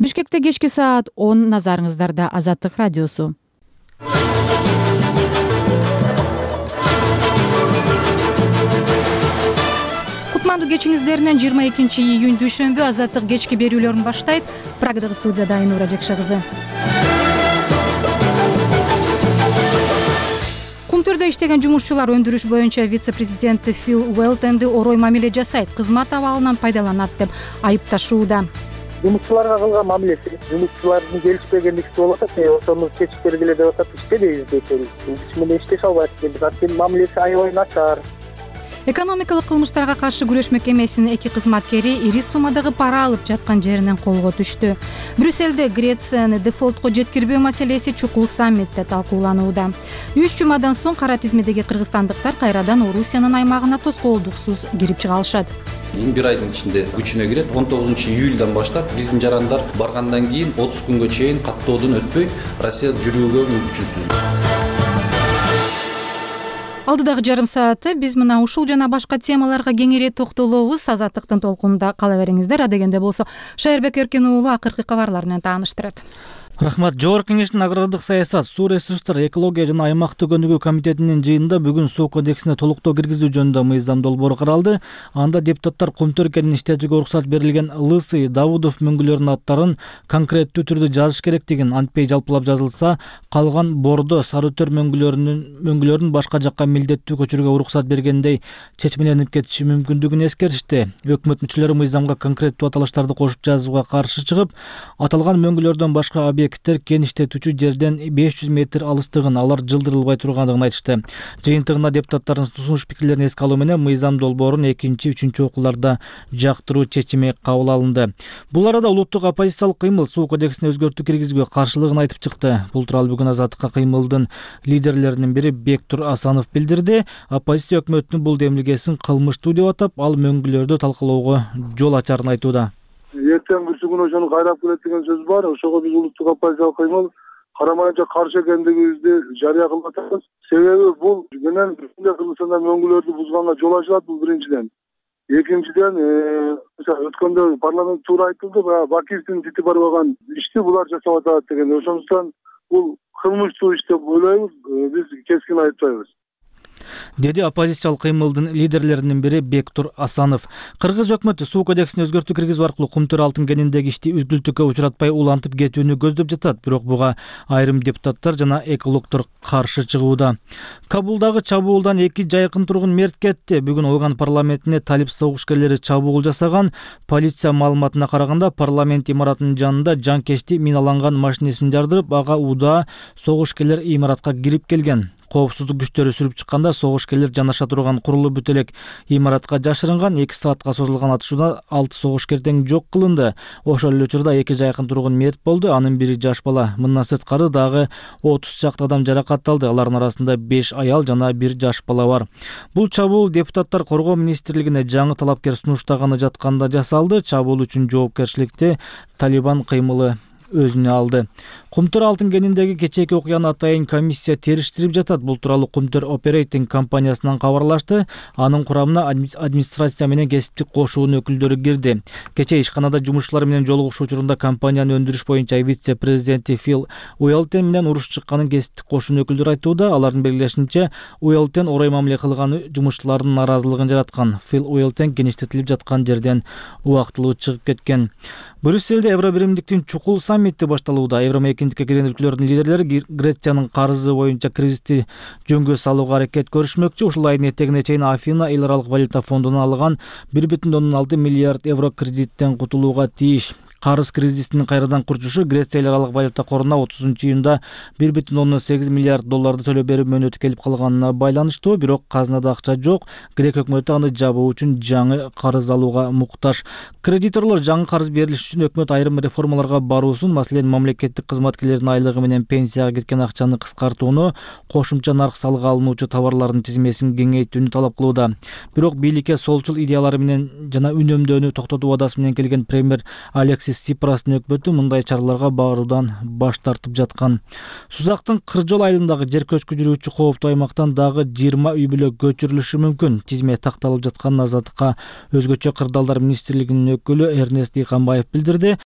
Бишкекте кечки саат 10 назарыңыздарда Азаттык радиосу. Кутмандуу кечиңиздеринен 22 июнь дүйшөмбү Азаттык кечки берүүлөрүн баштайт. Прагдагы студияда Айнура Жекше кызы. Кумтөрдө иштеген жумушчулар өндүрүш боюнча вице-президенти Фил Уэлтенди орой мамиле жасайт, кызмат абалынан пайдаланат деп айыпташууда. Жумушчуларга кылган мамилеси, жумушчулардын келишпегендиги болуп атат, ошону чечип бергиле деп атат, иштебейбиз дейт. Биз менен иштеше албайт экенбиз, анткени мамилеси аябай начар. Экономикалык кылмыштарга каршы күрөш мекемесинин 2 кызматкери ири суммадагы пара алып жаткан жеринен колго түштү. Брюссельде Грецияны дефолтко жеткирбөө маселеси чукул саммитте талкууланууда. 3 жумадан соң кара тизмедеги кыргызстандыктар кайрадан Орусиянын аймагына тоскоолдуксуз кирип чыга алышат. Бир айдын ичинде күчүнө кирет. 19 июлдан баштап биздин жарандар баргандан кийин 30 күнгө чейин каттоодон өтпөй Россияда жүрүүгө мүмкүнчүлүк. Алдыдагы жарым саатты биз мына ушул жана башка темаларга кеңири токтолобуз. Азаттыктын толкунунда кала бериңиздер. Адегенде болсо Шайырбек Эркен уулу акыркы кабарлар менен тааныштырат. Рахмат. Жогорку кеңештин агрардык саясат, суу ресурстары, экология жана аймактык өнүгүү комитетинин жыйынында бүгүн суу кодексине толуктоо киргизүү жөнүндө мыйзам долбоору каралды. Анда депутаттар кумтөр кенин иштетүүгө уруксат берилген Лысый, Давудов мөңгүлөрүнүн аттарын конкреттүү түрдө жазыш керектигин, антпей жалпылап жазылса, калган Бордо, Сарытөр мөңгүлөрүн башка жакка милдеттүү көчүрүүгө уруксат бергендей чечмеленип кетиши мүмкүндүгүн эскертишти. Өкмөт мүчөлөрү мыйзамга конкреттүү аталыштарды кошуп жазууга каршы чыгып, аталган мөңгүлөрдөн башка объекттер кен иштетүүчү жерден 500 метр алыстыгын, алар жылдырылбай тургандыгын айтышты. Жыйынтыгында депутаттардын сунуш пикирлерин эске алуу менен мыйзам долбоорун 2-3 окууларда жактыруу чечими кабыл алынды. Бул арада улуттук оппозициялык кыймыл суу кодексине өзгөртүү киргизүүгө каршылыгын айтып чыкты. Бул тууралуу бүгүн Азаттыкка кыймылдын лидерлеринин бири Бектур Асанов билдирди. Оппозиция өкмөттүн бул демилгесин кылмыштуу деп атап, ал мөңгүлөрдү талкалоого жол ачарын айтууда. Эртең күн ошону кайрап келет деген сөз бар. Ошого биз улуттук оппозициялык кыймыл карамайынча каршы экендигибизди жарыя кылып атабыз. Себеби бул менен Кыргызстанда мөңгүлөрдү бузганга жол ачылат, бул биринчиден. Экинчиден, өткөндө парламент туура айтылды, Бакиевдин тити барбаган ишти булар жасап атат деген. Ошондуктан бул кылмыштуу иш деп ойлойбуз, биз кескин айыптайбыз, деди оппозициялык кыймылдын лидерлеринин бири Бектур Асанов. Кыргыз өкмөтү суу кодексине өзгөртүү киргизүү аркылуу кумтөр алтын кениндеги ишти үзгүлтүккө учуратпай улантып кетүүнү көздөп жатат. Бирок буга айрым депутаттар жана экологдор каршы чыгууда. Кабулдагы чабуулдан 2 жайкын тургун мерт кетти. Бүгүн Афган парламентине талип согушкерлери чабуул жасаган. Полиция маалыматына караганда, парламент имаратынын жанында жанкечти миналанган машинесин жардырып, ага удаа согушкерлер имаратка кирип келген. Коопсуздук күчтөрү сүрүп чыкканда согушкерлер жанаша турган курулуу бүтөлөк имаратка жашырынган. 2 саатка созулган атышууда 6 согушкер тең жок кылынды. Ошол эле учурда 2 жайкын тургун мерт болду. Анын бири жаш бала. Мындан сырткары дагы 30 чакты адам жаракатталды. Алардын арасында 5 аял жана 1 жаш бала бар. Бул чабуул депутаттар коргоо министрлигине жаңы талапкер сунуштаганы жатканда жасалды. Чабуул үчүн жоопкерчиликти Талибан кыймылы өзүнө алды. Кумтөр алтын кениндеги кечээки окуяны атайын комиссия териштирип жатат. Бул тууралуу Кумтөр Оперейтинг компаниясынан кабарлашты. Анын курамына администрация менен кесиптик кошуунун өкүлдөрү кирди. Кечээ ишканада жумушчулар менен жолугушуу учурунда компаниянын өндүрүш боюнча вице-президенти Фил Уэлтен менен уруш чыкканын кесиптик кошуунун өкүлдөрү айтууда. Алардын белгилешинче, Уэлтен орой мамиле кылганы жумушчулардын наразылыгын жараткан. Фил Уэлтен кеништетилип жаткан жерден убактылуу чыгып кеткен. Брюссельде Евробиримдиктин чукул саммити башталууда. Евромейкиндикке кирген өлкөлөрдүн лидерлери Грециянын карызы боюнча кризисти жөнгө салууга аракет көрүшмөкчү. Ушул айдын этегине чейин Афина эл аралык валюта фондунан алган 1,6 миллиард евро кредиттен кутулууга тийиш. Карыз кризисинин кайрадан курчушу Греция эл аралык валюта коруна 30-июнда 1,8 миллиард долларды төлөп берүү мөөнөтү келип калганына байланыштуу. Бирок казынада акча жок. Грек өкмөтү аны жабуу үчүн жаңы карыз алууга муктаж. Кредиторлор жаңы карыз берилиш үчүн өкмөт айрым реформаларга баруусун, маселен мамлекеттик кызматкерлердин айлыгы менен пенсияга кеткен акчаны кыскартууну, кошумча нарк салыгы алынуучу товарлардын тизмесин кеңейтүүнү талап кылууда. Бирок бийликке солчул идеялары менен жана үнөмдөөнү токтотуу убадасы менен келген премьер Алексис Ципрастын өкмөтү мындай чараларга баруудан баш тартып жаткан. Сузактын Кыржол айылындагы жер көчкү жүрүүчү кооптуу аймактан дагы 20 үй бүлө көчүрүлүшү мүмкүн. Тизме такталып жатканын Азаттыкка өзгөчө кырдаалдар министрлигинин өкүлү Эрнест Дыйканбаев билдирди.